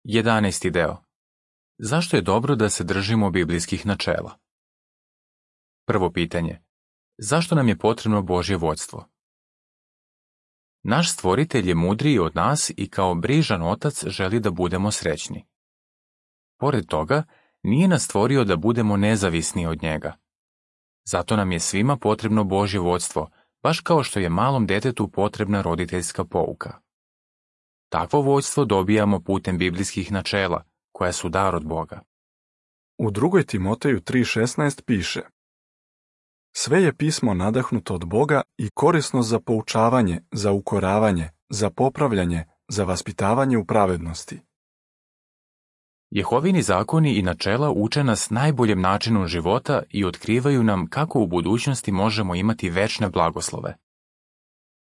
11. deo. Zašto je dobro da se držimo biblijskih načela? Prvo pitanje. Zašto nam je potrebno Božje vodstvo? Naš stvoritelj je mudriji od nas i kao brižan otac želi da budemo srećni. Pored toga, nije nas stvorio da budemo nezavisni od njega. Zato nam je svima potrebno Božje vodstvo, baš kao što je malom detetu potrebna roditeljska pouka. Takvo vodstvo dobijamo putem biblijskih načela, koja su dar od Boga. U 2. Timoteju 3.16 piše: Sve je pismo nadahnuto od Boga i korisno za poučavanje, za ukoravanje, za popravljanje, za vaspitavanje u pravednosti. Jehovini zakoni i načela uče nas najboljem načinu života i otkrivaju nam kako u budućnosti možemo imati večne blagoslove.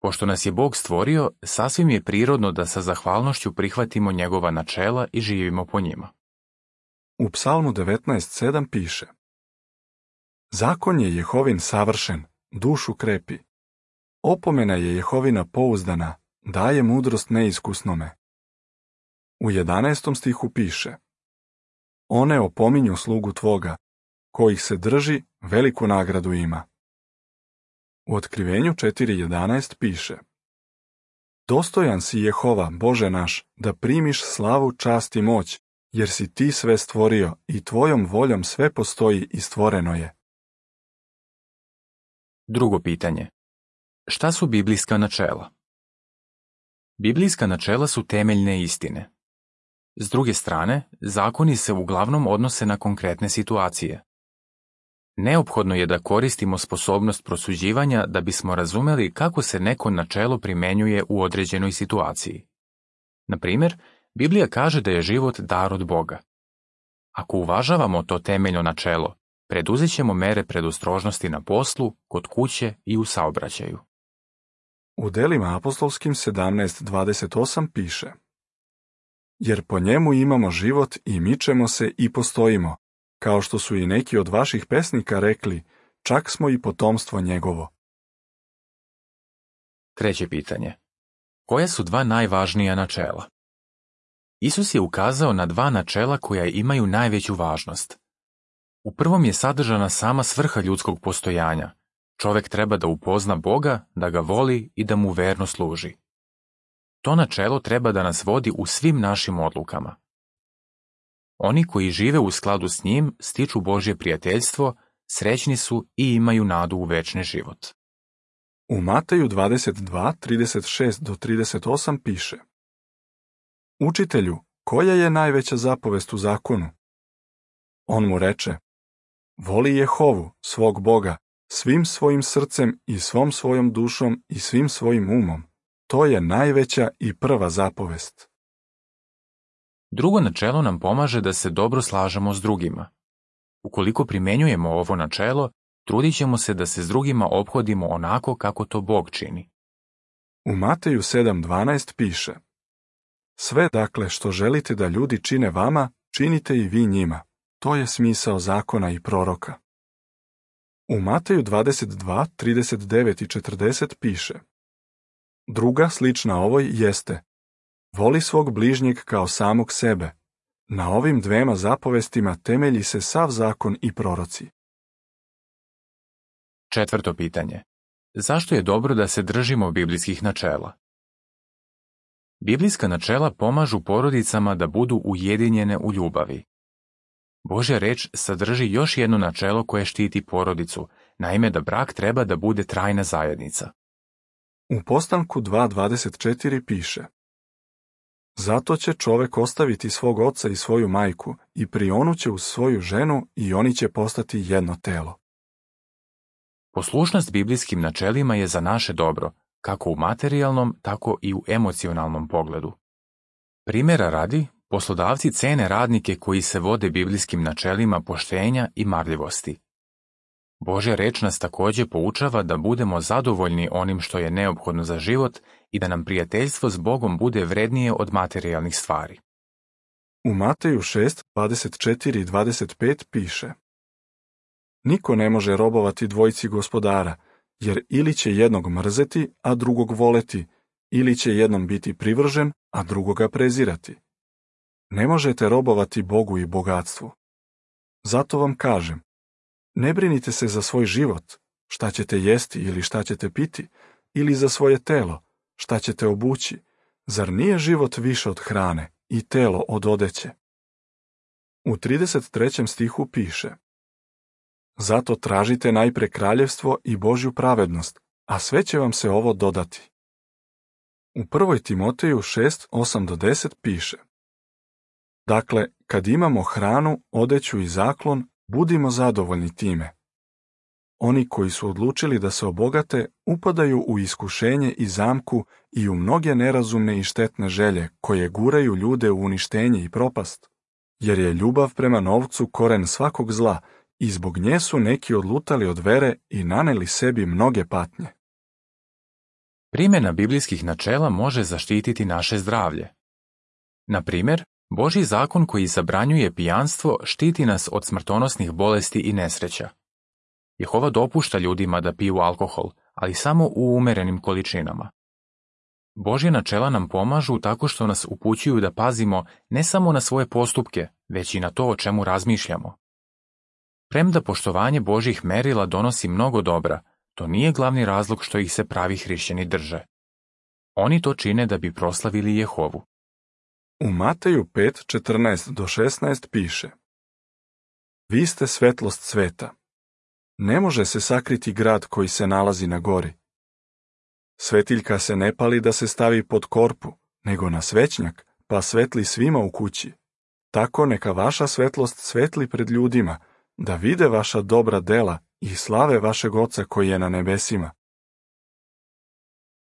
Pošto nas je Bog stvorio, sasvim je prirodno da sa zahvalnošću prihvatimo njegova načela i živimo po njima. U Psalmu 19.7 piše: Zakon je Jehovin savršen, dušu krepi. Opomena je Jehovina pouzdana, daje mudrost neiskusnome. U 11. stihu piše: One opominju slugu tvoga, kojih se drži, veliku nagradu ima. U Otkrivenju 4.11 piše: Dostojan si Jehova, Bože naš, da primiš slavu, čast i moć, jer si ti sve stvorio i tvojom voljom sve postoji i stvoreno je. Drugo pitanje. Šta su biblijska načela? Biblijska načela su temeljne istine. S druge strane, zakoni se uglavnom odnose na konkretne situacije. Neophodno je da koristimo sposobnost prosuđivanja da bismo razumeli kako se neko načelo primenjuje u određenoj situaciji. Na primjer, Biblija kaže da je život dar od Boga. Ako uvažavamo to temeljno načelo, preduzet ćemo mere predostrožnosti na poslu, kod kuće i u saobraćaju. U Delima apostolskim 17.28 piše: Jer po njemu imamo život i mičemo se i postojimo, kao što su i neki od vaših pesnika rekli, čak smo i potomstvo njegovo. Treće pitanje. Koja su dva najvažnija načela? Isus je ukazao na dva načela koja imaju najveću važnost. U prvom je sadržana sama svrha ljudskog postojanja. Čovek treba da upozna Boga, da ga voli i da mu verno služi. To načelo treba da nas vodi u svim našim odlukama. Oni koji žive u skladu s njim stiču Božje prijateljstvo, srećni su i imaju nadu u večni život. U Mateju 22.36-38 piše: Učitelju, koja je najveća zapovest u zakonu? On mu reče: Voli Jehovu, svog Boga, svim svojim srcem i svom svojom dušom i svim svojim umom. To je najveća i prva zapovest. Drugo načelo nam pomaže da se dobro slažemo s drugima. Ukoliko primenjujemo ovo načelo, trudit ćemo se da se s drugima ophodimo onako kako to Bog čini. U Mateju 7.12 piše: Sve dakle što želite da ljudi čine vama, činite i vi njima. To je smisao zakona i proroka. U Mateju 22.39 i 40 piše: Druga slična ovoj jeste: Voli svog bližnjeg kao samog sebe. Na ovim dvema zapovestima temelji se sav zakon i proroci. Četvrto pitanje. Zašto je dobro da se držimo biblijskih načela? Biblijska načela pomažu porodicama da budu ujedinjene u ljubavi. Božja reč sadrži još jedno načelo koje štiti porodicu, naime da brak treba da bude trajna zajednica. U Postanku 2.24 piše: Zato će čovek ostaviti svog oca i svoju majku i prionuće uz svoju ženu i oni će postati jedno telo. Poslušnost biblijskim načelima je za naše dobro, kako u materijalnom, tako i u emocionalnom pogledu. Primjera radi, poslodavci cene radnike koji se vode biblijskim načelima poštenja i marljivosti. Božja reč nas također poučava da budemo zadovoljni onim što je neophodno za život i da nam prijateljstvo s Bogom bude vrednije od materijalnih stvari. U Mateju 6.24 i 25 piše: Niko ne može robovati dvojici gospodara, jer ili će jednog mrzeti, a drugog voleti, ili će jednom biti privržen, a drugoga prezirati. ne možete robovati Bogu i bogatstvu. Zato vam kažem, ne brinite se za svoj život, šta ćete jesti ili šta ćete piti, ili za svoje telo, šta ćete obući. Zar nije život više od hrane i telo od odeće? U 33. stihu piše: Zato tražite najpre kraljevstvo i Božju pravednost, a sve će vam se ovo dodati. U 1. Timoteju 6, 8-10 piše: Dakle, kad imamo hranu, odeću i zaklon, budimo zadovoljni time. Oni koji su odlučili da se obogate, upadaju u iskušenje i zamku i u mnoge nerazumne i štetne želje koje guraju ljude u uništenje i propast, jer je ljubav prema novcu koren svakog zla i zbog nje su neki odlutali od vere i naneli sebi mnoge patnje. Primjena biblijskih načela može zaštititi naše zdravlje. Na primjer, Božji zakon koji zabranjuje pijanstvo štiti nas od smrtonosnih bolesti i nesreća. Jehova dopušta ljudima da piju alkohol, ali samo u umerenim količinama. Božja načela nam pomažu tako što nas upućuju da pazimo ne samo na svoje postupke, već i na to o čemu razmišljamo. Premda poštovanje Božjih merila donosi mnogo dobra, to nije glavni razlog što ih se pravi hrišćani drže. Oni to čine da bi proslavili Jehovu. U Mateju 5:14-16 piše: Vi ste svetlost sveta. Ne može se sakriti grad koji se nalazi na gori. Svetiljka se ne pali da se stavi pod korpu, nego na svećnjak, pa svetli svima u kući. Tako neka vaša svetlost svetli pred ljudima, da vide vaša dobra dela i slave vašeg Oca koji je na nebesima.